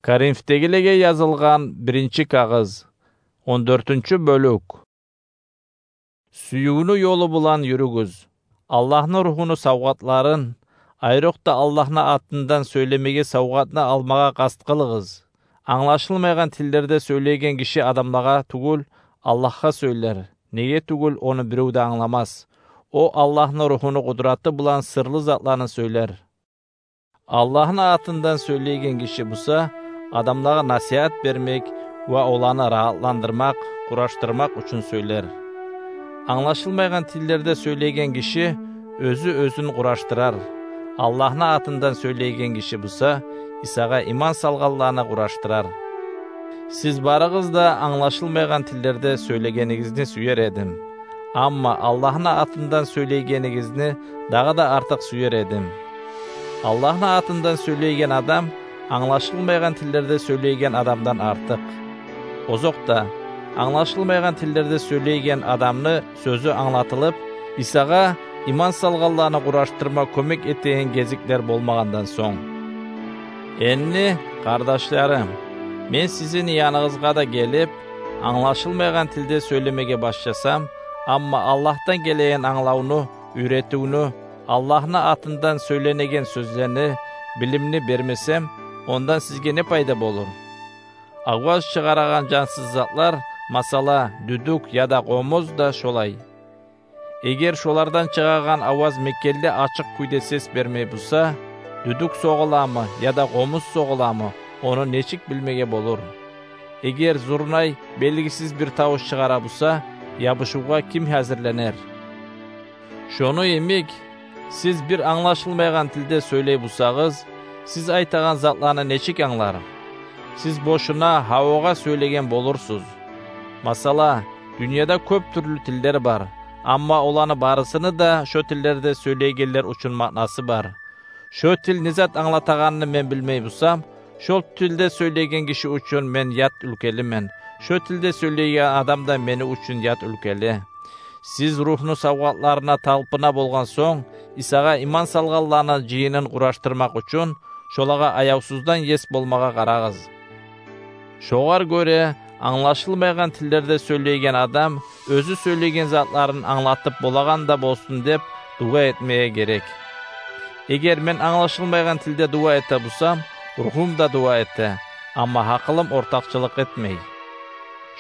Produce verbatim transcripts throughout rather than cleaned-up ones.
Коринфдегилеге язылгъан биринчи кагъыз, он дёртюнчю бёлюк. Сюювню ёлу булан юрюгюз. Аллагьны Ругьуну савгъатларын, айрокъда Аллагьны атындан сёйлемеге савгъатны алмагъа къаст къылыгъыз. Англашылмайгъан тиллерде сёйлейген гиши адамлагъа тюгюл, Аллагьгъа сёйлер. Неге тюгюл, ону бирев де англамас. О Аллагьны Ругьуну къудраты булан сырлы затланы сёйлер. Аллагьны атындан сёйлейген гиши буса, адамлагъа насигьат бермек ва оланы рагьатландырмакъ, къураштырмакъ учун сёйлер. Англашылмайгъан тиллерде сёйлейген гиши оьзю оьзюн къураштырар. Аллагьны атындан сёйлейген гиши буса, Исагъа иман салгъанланы къураштырар. Сиз барыгъыз да англашылмайгъан тиллерде сёйлегенигизни сюер эдим. Амма Аллагьны атындан сёйлейгенигизни дагъы да артыкъ сюер эдим. Аллагьны атындан сёйлейген адам англашылмайгъан тиллерде сёйлейген адамдан артыкъ. Озокъда, англашылмайгъан тиллерде сёйлейген адамны сёзю англатылып, Исагъа иман салгъанланы къураштырма кёмек этеген гезиклер болмагъандан сонг. Энни, къардашларым, мен сизин яныгъызгъа да гелип, англашылмайгъан тилде сёйлемеге башласам, амма Аллагьдан гелеген англавну, уьйретивню, Аллагьны атындан сёйленеген сёзлени, билимни бермесем, ондан сизге не пайда болур? Аваз чыгъарагъан жансыз затлар, масала, дюдюк яда къомуз да шолай. Эгер шолардан чыгъагъан аваз мекенли ачыкъ кюйде сес бермей буса, дюдюк согъуламы яда къомуз согъуламы, ону нечик билмеге болур? Эгер зурнай белгисиз бир тавуш чыгъара буса, ябушувгъа ким гьазирленер? Шону йимик, сиз бир англашылмайгъан тилде сёйлей бусагъыз, сиз айтагъан затланы нечик англар? Сиз бошуна гьавагъа сёйлеген болурсуз. Масала, дюньяда кёп тюрлю тиллер бар, амма оланы барысыны да шо тиллерде сёйлейгенлер учун маънасы бар. Шо тил не зат англатагъанны мен билмей бусам, шо тилде сёйлейген гиши учун мен ят уьлкелимен. Шо тилде сёйлейген адам да мени учун ят уьлкели. Сиз Ругьну савгъатларына талпына болгъан сонг, Исагъа иман салгъанланы жыйынын къураштырмакъ учун, шолагъа аявсуздан ес болмагъа къарагъыз. Шогъар гёре, англашылмайгъан тиллерде сёйлейген адам оьзю сёйлейген затларын англатып болагъан да болсун деп дуа этмеге герек. Эгер мен англашылмайгъан тилде дуа эте бусам, ругьум да дуа эте, амма гьакъылым ортакъчылыкъ этмей.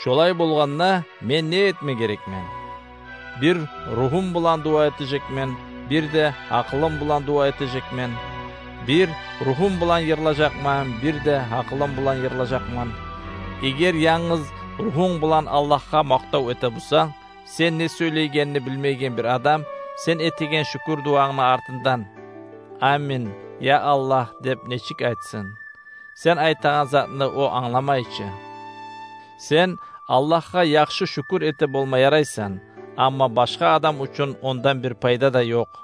Шолай болгъанда, мен не этме герекмен? Бир ругьум булан дуа этежекмен, бир де гьакъылым булан дуа этежекмен. Бир ругьум булан йырлажакъман, бир де гьакъылым булан йырлажакъман. Эгер янгыз ругьунг булан Аллагьгъа макътав эте бусанг, сен не сёйлейгенни билмейген бир адам, сен этеген шюкюр дуангны артындан: «Амин, я Аллагь», — деп нечик айтсын? Сен айтагъан затны о англамай чы. Сен Аллагьгъа яхшы шюкюр эте болма ярайсан, амма башгъа адам учун ондан бир пайда да ёкъ.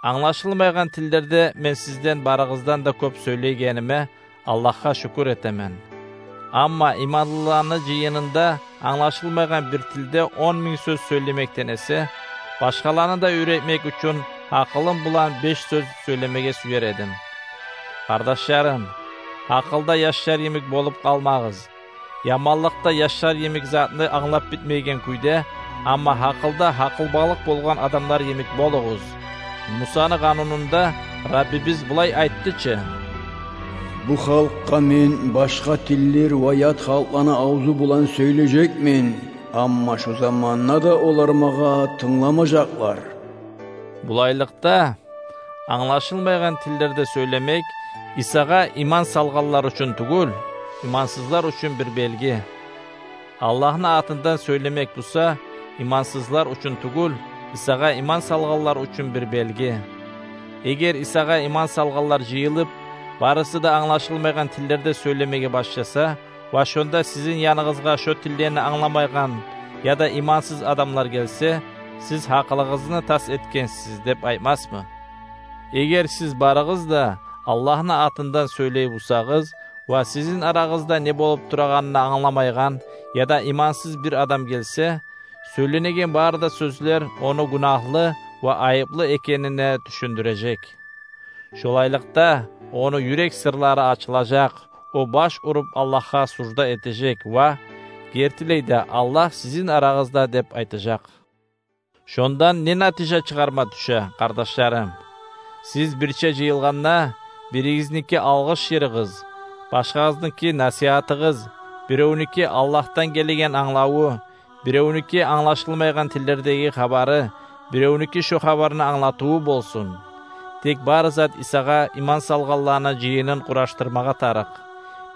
Англашылмайгъан тиллерде мен сизден барыгъыздан да кёп сёйлейгениме Аллагьгъа шюкюр этемен. Амма иманлыланы жыйынында англашылмайгъан бир тилде он минг сёз сёйлемекден эсе, башгъаланы да уьйретмек учун гьакъылым булан беш сёз сёйлемеге сюер эдим. Къардашларым, гьакъылда яшлар йимик болуп къалмагъыз. Яманлыкъда яшлар йимик затны англап битмейген кюйде, амма гьакъылда гьакъылбалыкъ болгъан адамлар йимик болугъуз. Мусаны къанунунда Раббибиз булай айтды чы: «Бу халкъгъа мен башгъа тиллер ва ят халкъланы авзу булан сёйлежекмен, амма шо заманда да олар магъа тынгламажакълар». Булайлыкъда, англашылмайгъан тиллерде сёйлемек Исагъа иман салгъанлар учун тюгюл, имансызлар учун бир белги. Аллагьны атындан сёйлемек буса, имансызлар учун тюгюл, Исагъа иман салгъанлар учун бир белги. Эгер Исагъа иман салгъанлар жыйылып, барысы да англашылмайгъан тиллерде сёйлемеге башласа, ва шонда сизин яныгъызгъа шо тиллени англамайгъан яда имансыз адамлар гелсе, сиз гьакъылыгъызны тас этгенсиз деп айтмасмы? Эгер сиз барыгъыз да Аллагьны атындан сёйлей бусагъыз ва сизин арагъызда не болуп турагъанны англамайгъан яда имансыз бир адам гелсе, сёйленеген бары да сёзлер ону гюнагьлы ва айыплы экенине тюшюндюрежек. Шолайлыкъда, ону юрек сырлары ачылажакъ, о баш уруп Аллагьгъа сужда этежек ва: «Гертилей де, Аллагь сизин арагъызда», — деп айтажакъ. Шондан не натижа чыгъарма тюше, къардашларым? Сиз бирче жыйылгъанда, биригизники алгъыш йырыгъыз, башгъагъызныки насигьатыгъыз, биревнюки Аллагьдан гелеген англаву, биревнюки англашылмайгъан тиллердеги хабары, биревнюки шо хабарны англатыву болсун. Тек бары зат Исагъа иман салгъанланы жыйынын къураштырмагъа тарыкъ.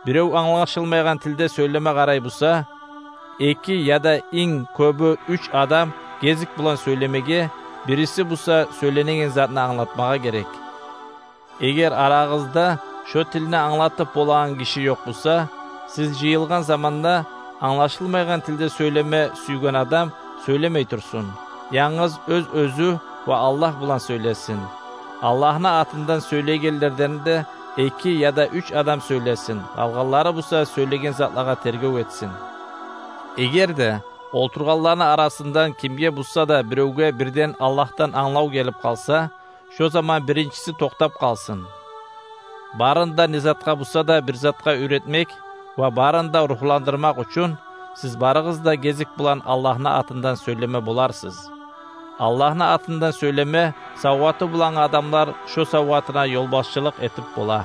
Бирев англашылмайгъан тилде сёйлеме къарай буса, эки яда инг кёбю уьч адам гезик булан сёйлемеге, бириси буса сёйленеген затны англатмагъа герек. Эгер арагъызда шо тилни англатып болагъан гиши ёкъ буса, сиз жыйылгъан заманда англашылмайгъан тилде сёйлеме сюйген адам сёйлемей турсун. Янгыз оьз-оьзю ва Аллагь булан сёйлесин. Аллагьны атындан сёйлейгенлерден де эки яда уьч адам сёйлесин. Къалгъанлары буса сёйлеген затлагъа тергев этсин. Эгер де олтургъанланы арасындан кимге буса да биревге бирден Аллагьдан англав гелип къалса, шо заман биринчиси токътап къалсын. Барын да не затгъа буса да бир затгъа уьйретмек ва барын да ругьландырмакъ учун сиз барыгъыз да гезик булан Аллагьны атындан сёйлеме боларсыз. Аллагьны атындан сёйлеме савгъаты булангъы адамлар шо савгъатына ёлбашчылыкъ этип бола.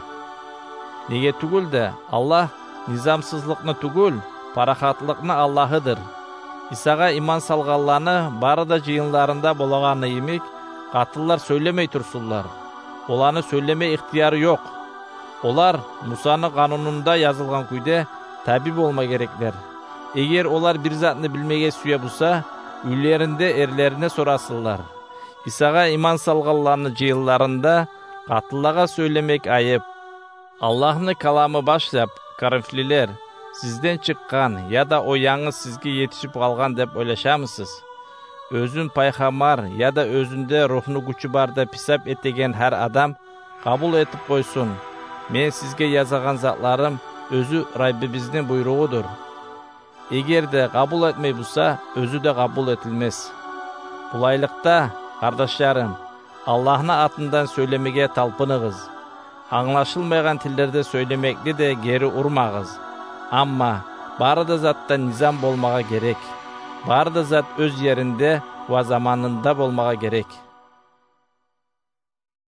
Неге тюгюл де, Аллагь низамсызлыкъны тюгюл, парахатлыкъны Аллагьыдыр. Исагъа иман салгъанланы бары да жыйынларында болагъаны йимик, къатынлар сёйлемей турсунлар. Оланы сёйлеме ихтияры ёкъ. Олар Мусаны къанунунда язылгъан кюйде табий болма гереклер. Эгер олар бир затны билмеге сюе буса, уьйлеринде эрлерине сорасынлар. Исагъа иман салгъанланы жыйынларында къатынлагъа сёйлемек айып. Аллагьны каламы башлап: «Коринфлилер, сизден чыкъгъан яда о янгыз сизге етишип къалгъан деп ойлашамысыз? Оьзюн пайхаммар яда оьзюнде ругьну гючю бар деп гьисап этеген гьар адам къабул этип къойсун: мен сизге язагъан затларым оьзю Раббибизни буйругъудур. Эгер де къабул этмей буса, оьзю де къабул этилмес». Булайлыкъда, къардашларым, Аллагьны атындан сёйлемеге талпыныгъыз. Англашылмайгъан тиллерде сёйлемекни де гери урмагъыз. Амма бары да затда низам болмагъа герек. Бары да зат оьз еринде ва заманында болмагъа герек.